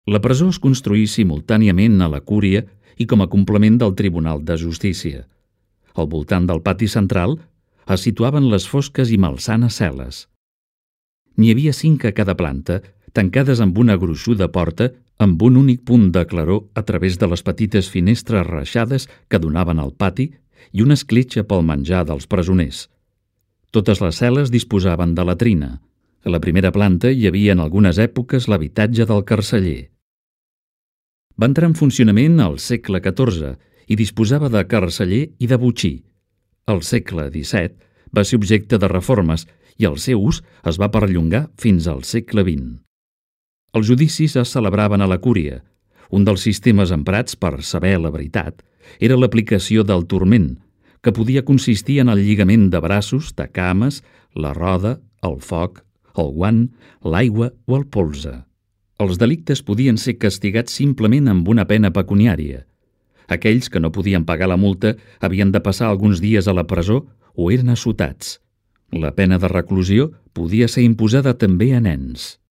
La presó es construí simultàniament a la Cúria i com a complement del Tribunal de Justícia. Al voltant del pati central es situaven les fosques i malsanes cel·les. N'hi havia 5 a cada planta, tancades amb una gruixuda porta amb un únic punt de claror a través de les petites finestres reixades que donaven al pati i una escletxa pel menjar dels presoners. Totes les cel·les disposaven de latrina. A la primera planta hi havia en algunes èpoques l'habitatge del carceller. Va entrar en funcionament al segle XIV i disposava de carceller i de botxí. Al segle XVII va ser objecte de reformes i el seu ús es va perllongar fins al segle XX. Els judicis es celebraven a la Cúria. Un dels sistemes emprats per saber la veritat era l'aplicació del turment, que podia consistir en el lligament de braços, de cames, la roda, el foc, el guant, l'aigua o el polze. Els delictes podien ser castigats simplement amb una pena pecuniària. Aquells que no podien pagar la multa havien de passar alguns dies a la presó o eren assotats. La pena de reclusió podia ser imposada també a nens.